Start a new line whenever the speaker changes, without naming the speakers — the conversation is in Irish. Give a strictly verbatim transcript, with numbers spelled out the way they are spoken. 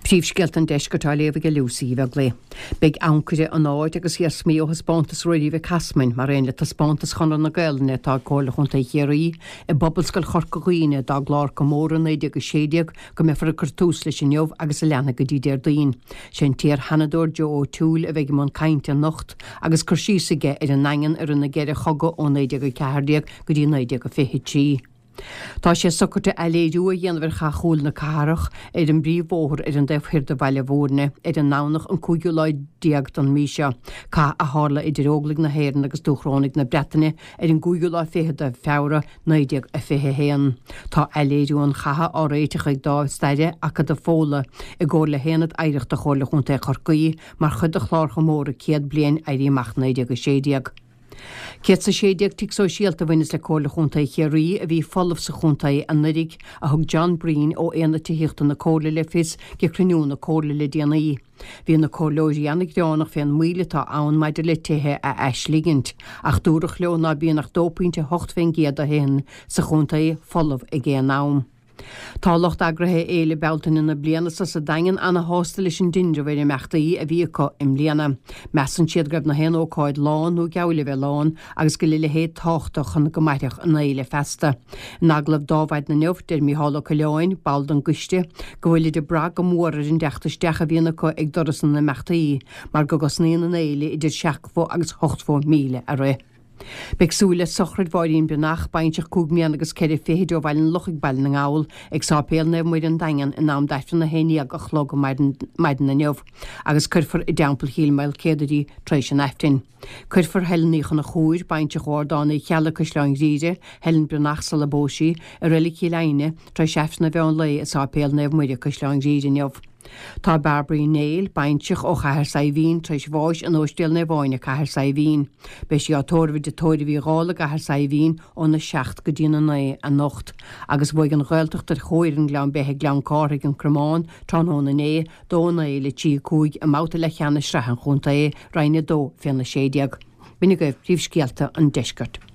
Príomhscéalta an Deiscirt á léamh ag Lucy Uí Bheaglaoich. Beidh ancaire an áit agus iarsmaí ó thaispeántas Ruairí Mhic Easmainn mar aon le taispeántas Chonradh na Gaelainne atá ag Comhairle Chontae Chiarraí i bPobalscoil Chorca Dhuibhne dá gclár comóradh naoi déag a sé déag go mbeifear ag cur tús leis inniu agus a leanfaidh go dtí Déardaoin. Sé an t-iar-Sheanadóir Joe O'Toole a bheidh i mbun cainte anocht agus cur síos aige ar an nDaingean i rith na gceithre chogadh ó naoi déag a ceathair déag go dtí naoi déag a fiche trí. Tá sé socraithe athléiriú a dhéanamh ar Chath Chúil na Cathrach ar an bpríomhbhóthar ar an dtaobh thoir de Bhaile Bhúirne ar an nDomhnach an cúigiú lá déag den mhí seo, cath a tharla idir Óglaigh na hÉireann agus Dúchrónaigh na Breataine ar an gcúigiú lá fichead de Feabhra naoi déag a fiche a haon. Tá athléiriú an chatha á réiteach ag Dámh Staire Acadamh Fódhla i gcomhar le hAonad Oidhreachta Chomhairle Chontae Chorcaí mar chuid de chlár chomóradh céad bliain Éirí Amach naoi déag a sé déag. Céad 's a sé déag tigh sóisialta a bhaineas le Comhairle Chontae Chiarraí a bhí folamh sa chontae anuraidh, a thug John Breen ó Aonad Tithíochta na Comhairle le fios ag cruinniú na Comhairle le déanaí. Bhí na comhairleoirí an-ghearánach fén moill atá ann maidir le tithe a aisligint, ach dúradh leo ná bíonn ach dó pointe a hocht fén gcéad de thithe sa chontae folamh ag aon am. Tá lucht eagraithe Fhéile Bealtaine na bliana seo sa Daingean ana-shásta leis an dtinreamh ar imeachtaí a bhí acu i mbliana. Measann siad go raibh na haon ócáid lán nó geall le bheith lán agus go bhfuil a leithéid tábhachtach chun go mairfeadh an fhéile feasta. In agallamh d'Adhmhaidin inniu, deir Mícheál Ó Coileáin, ball den gcoiste, go bhfuilid ag brath go mór ar an dteacht isteach a bhíonn acu ag doras na n-imeachtaí mar go gcosnaíonn an fhéile idir seachtó agus ochtó míle a rith. Beidh súil le sochraid Mháirín Breathnach, baintreach cúig mbliana agus ceithre fichid ó Bhaile an Lochaigh, Baile na nGall, ag Sáipéal Naomh Muire an Daingean in am d'Aifreann a haon déag a chlog maidin inniu agus cuirfear i dTeampall Chill Maoilchéadair í tar éis an Aifrinn. Cuirfear Helen Uí Chonchúir, baintreach ó Ardán Uí Cheallaigh, Caisleán Ghriaire, Helen Breathnach sula bpós sí, i Reilig Chill Aidhne, tar éis Aifreann an mheán lae i Sáipéal Naomh Muire, Caisleán Ghriaire inniu. Tá Bairbre Uí Néill, baintreach ó Chathair Saidhbhín, tar éis bháis in Óistéal Naomh Áine, Cathair Saidhbhín. Beidh sí á tórramh i dTigh Tórraimh Uí Dhálaigh i gCathair Saidhbhín óna seacht go dtína naoi anocht. Agus bhuaigh an Ghaeltacht ar chomhfhoireann Ghleann Beithe Gleann Cárthaigh An Cromán tráthnóna inné, dó a naoi le trí a cúig i mbabhta leathcheannais sraith an chontae, Roinn a dó féna sé déag. B'in agaibh príomhscéalta an deiscirt.